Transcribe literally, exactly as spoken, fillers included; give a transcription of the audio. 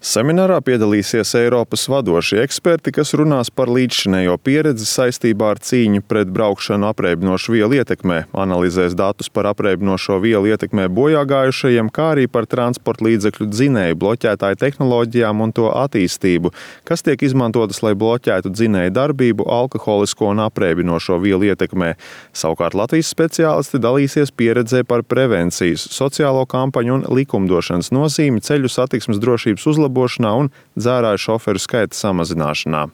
Seminārā piedalīsies Eiropas vadošie eksperti, kas runās par līdzšinējo pieredzi saistībā ar cīņu pret braukšanu apreibinošu vielu ietekmē, analizēs datus par apreibinošo vielu ietekmē bojāgājušajiem, kā arī par transporta līdzekļu dzinēju bloķētāju tehnoloģijām un to attīstību, kas tiek izmantotas, lai bloķētu dzinēju darbību alkoholisko un apreibinošo vielu ietekmē. Savukārt Latvijas speciālisti dalīsies pieredzē par prevencijas, sociālo kampaņu un likumdošanas nozīmi ceļu satiksmes drošības uzlabošanā un dzērāju šoferu skaita samazināšanā.